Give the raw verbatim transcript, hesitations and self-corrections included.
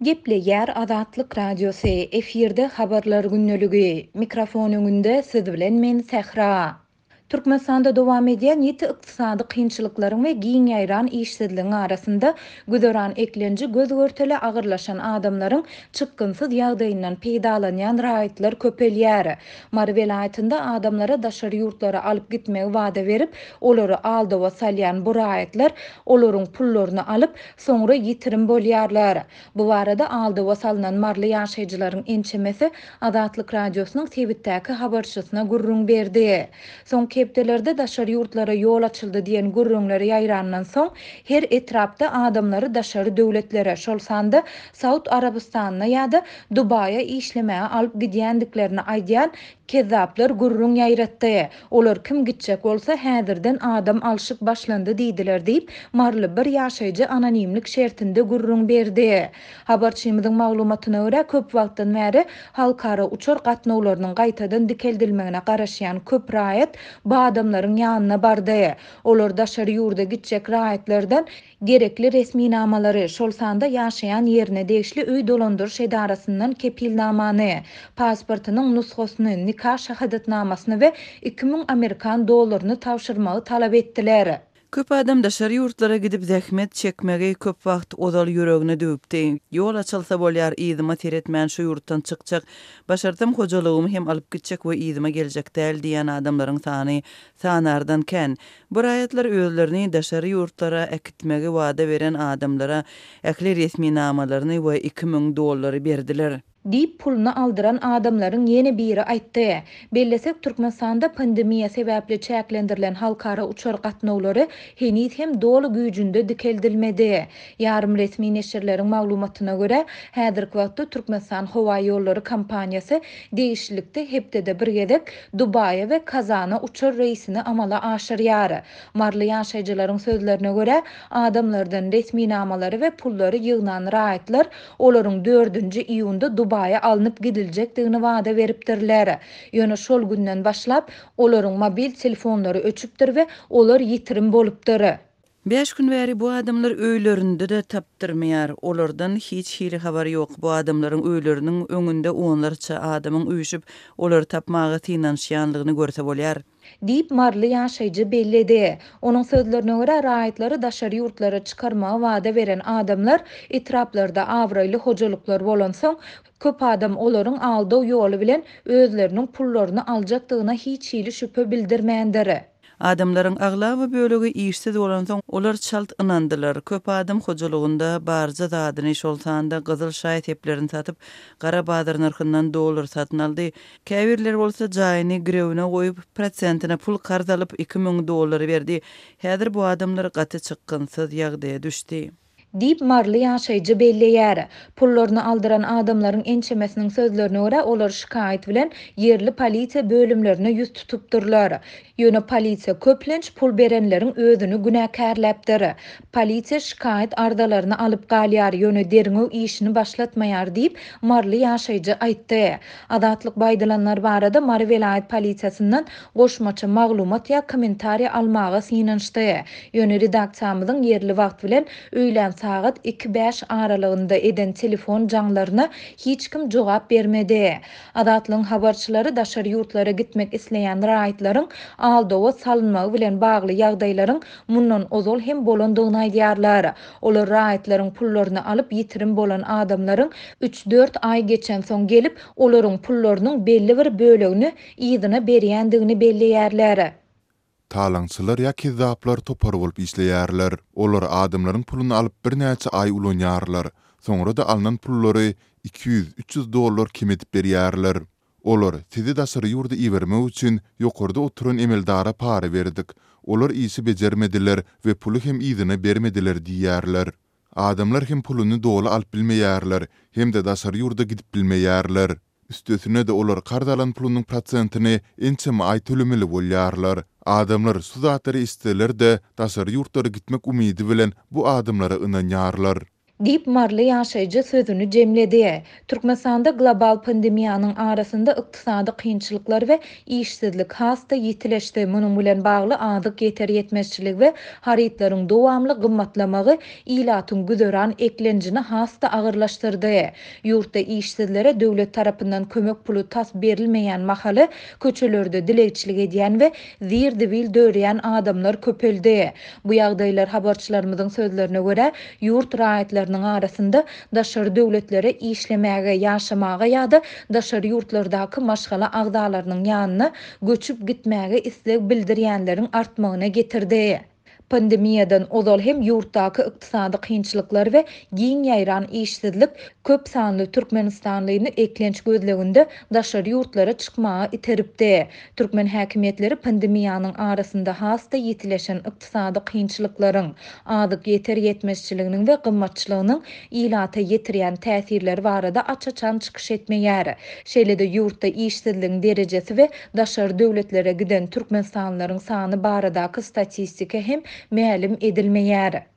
Gepleýär Azatlyk Radiosy, efirde Habarlar gündeligi. Mikrofon öňünde siz bilen men Sähra. Türkmenistanda dowam edýän ýiti ykdysady kynçylyklaryň we giň ýaýran işsizligiň arasynda güzeran eklenji göz-görtele agyrlaşan adamlaryň çykgynsyz ýagdaýyndan peýdalanýan raýatlar köpelýär. Mary welaýatynda adamlara daşary ýurtlara alyp gitmegi wada berip, olary aldawa salýan bu raýatlar olaryň pullaryny alyp, soňra ýitirim bolýarlar. Bu barada aldawa salnan maryly ýaşaýjylaryň ençemesi Azatlyk Radiosynyň sebitdäki habarçysyna gürrüň berdi. Soňky hepdelerde daşary ýurtlara ýol açyldy diýen gürrüňler ýaýrandan soň, her etrapda adamlary daşary döwletlere, şol sanda Saud Arabystanyna ýa-da Dubaýa işlemäge alyp gidýändiklerini aýdýan kezzaplar gürrüň ýaýratdy. Olar kim gitjek bolsa, häzirden adam alşyk başlandy diýdiler diýip, maryly bir ýaşaýjy anonimlik şertinde gürrüň berdi. Habarçymyzyň maglumatyna görä, köp wagtdan bäri halkara uçar gatnawlarynyň gaýtadan dikeldilmegine garaşýan köp raýat bu adamlaryň ýanyna bardy. Olar daşary ýurda gitjek raýatlardan gerekli resminamalary, şol sanda ýaşaýan ýerine degişli öý dolandyryş edarasyndan kepilnamany, pasportynyň nusgasyny, nika şahadatnamasyny we iki müň amerikan dollaryny tabşyrmagy talap etdiler. Köp adam daşary ýurtlara gidip zähmet çekmegi köp wagt ozal ýüregine düwüpdi. Ýol açylsa bolýar, yzyma seretmän şu ýurtdan çykjak, başarsam hojalygymy hem alyp gitjek we yzyma geljek däl diýen adamlaryň sany sanardan kän. Bu raýatlar özlerini daşary ýurtlara äkitmegi wada beren adamlara ähli resminamalaryny we iki müň dollary berdiler. Diýip, puluny aldyran adamlaryň ýene biri aýtdy. Bellesek, Türkmenistanda pandemiýa sebäpli çäklendirilen halkara uçar gatnawlary heniz hem doly güýjünde dikeldilmedi. Ýarym resmi neşirleriň maglumatyna görä, häzirki wagtda Türkmenistan howaýollary kompaniýasy degişlilikde hepdede bir gezek Dubaýa we Kazana uçar reýsini amala aşyrýar. Maryly ýaşaýjylaryň sözlerine görä, adamlardan resminamalary we pullary ýygnan raýatlar olaryň dördünji iýunda Dubaýa alnyp gidiljekdigini wada beripdirler. Ýöne şol günden başlap, olaryň mobil telefonlary öçüpdir we olar ýitirim bolupdyr. Bäş gün bäri bu adamlar öýlerinde-de tapdyrmaýar. Olardan hiç hili habar ýok. Bu adamlaryň öýleriniň öňünde onlarça adamyň üýşüp, olary tapmaga synanyşýanlygyny görse bolýar. Diýip, maryly ýaşaýjy belledi. Onuň sözlerine görä, raýatlary daşary ýurtlara çykarmagy wada beren adamlar etraplarda abraýly hojalyklar bolansoň, köp adam olaryň aldaw ýoly bilen özleriniň pullaryny aljakdygyna hiç hili şübhe bildirmändir. Adamlaryň aglaba bölegi işsiz bolansoň, olar çalt ynandylar. Köp adam hojalygynda barja zadyny, şol sanda gyzyl şaý-seplerini satyp, gara bazar nyrhyndan dollar satyn aldy. Käbirleri bolsa jaýyny girewine goýup, prosentine pul karz alyp, iki müň dollary berdi. Häzir bu adamlar gaty çykgynsyz ýagdaýa düşdi. Diýip, maryly ýaşaýjy belleýär. Pullaryny aldyran adamlaryň ençemesiniň sözlerine görä, olar şikaýat bilen ýerli polisiýa bölümlerine ýüz tutupdyrlar. Ýöne polisiýa köplenç pul berenleriň özüni günäkärläpdir. Polisiýa şikaýat arzalaryny alyp galýar, ýöne derňew işini başlatmaýar diýip, maryly ýaşaýjy aýtdy. Azatlyk bu aýdylanlar barada Mary welaýat polisiýasyndan goşmaça maglumat ýa kommentariý almaga synanyşdy. Ýöne redaksiýamyzyň ýerli wagt bilen öýlän sagat iki bäş aralygynda eden telefon jaňlaryna hiç kim jogap bermedi. Azatlygyň habarçylary daşary ýurtlara gitmek isleýän raýatlaryň aldawa salynmagy bilen bagly ýagdaýlaryň mundan ozal hem bolandygyny aýdýarlar. Olar raýatlaryň pullaryny alyp ýitirim bolan adamlaryň üç-dört aý geçensoň gelip, olaryň pullarynyň belli bir bölegini yzyna berýändigini belleýärler. Talaňçylar ýa kezzaplar topar bolup işleýärler. Olar adamlaryň puluny alyp birnäçe aý ulanýarlar. Soňra-da alnan pullary iki ýüz, üç ýüz dollar kem edip berýärler. Olar sizi daşary ýurda ibermek üçin ýokarda oturan emeldara para berdik. Olar işi bejermediler we puly hem yzyna bermediler diýýärler. Adamlar hem puluny doly alyp bilmeýärler hem-de daşary ýurda gidip bilmeýärler. Üstesine-de olar karz alan pulunyň prosentini ençeme aý tölemeli bolýarlar. Adamlar şu zatlary eşitseler-de, daşary ýurtlara gitmek umydy bilen bu adamlara ynanýarlar. Diýip, maryly ýaşaýjy sözüni jemledi. Türkmenistanda global pandemiýanyň arasynda ykdysady kynçylyklar we işsizlik has-da ýitileşdi, munuň bilen bagly azyk ýeter-ýetmezçiligi we harytlaryň dowamly gymmatlamagy ilatyň güzeran eklenjini has-da agyrlaşdyrdy. Ýurtda işsizlere döwlet tarapyndan kömek puly tas berilmeýän mahaly, köçelerde dilegçilik edýän we zir-zibil dörýän adamlar köpeldi. Bu ýagdaýlar, habarçylarymyzyň sözlerine görä, ýurt raýatlarynyň arasynda daşary döwletlere işlemäge, ýaşamaga ýa-da daşary ýurtlardaky maşgala agzalarynyň ýanyna göçüp gitmäge isleg bildirýänleriň artmagyna getirdi. Pandemiýadan ozal hem ýurtdaky ykdysady kynçylyklar we giň ýaýran işsizlik köp sanly türkmenistanlyny eklenç gözleginde daşary ýurtlara çykmaga iteripdi. Türkmen häkimiýetleri pandemiýanyň arasynda has-da ýitileşen ykdysady kynçylyklaryň, azyk ýeter-ýetmezçiliginiň we gymmatçylygynyň ilata ýetirýän täsirleri barada aç-açan çykyş etmeýär. Şeýle-de ýurtda işsizligiň derejesi we daşary döwletlere giden türkmenistanlylaryň sany baradaky statistika hem mälim edilmeýär.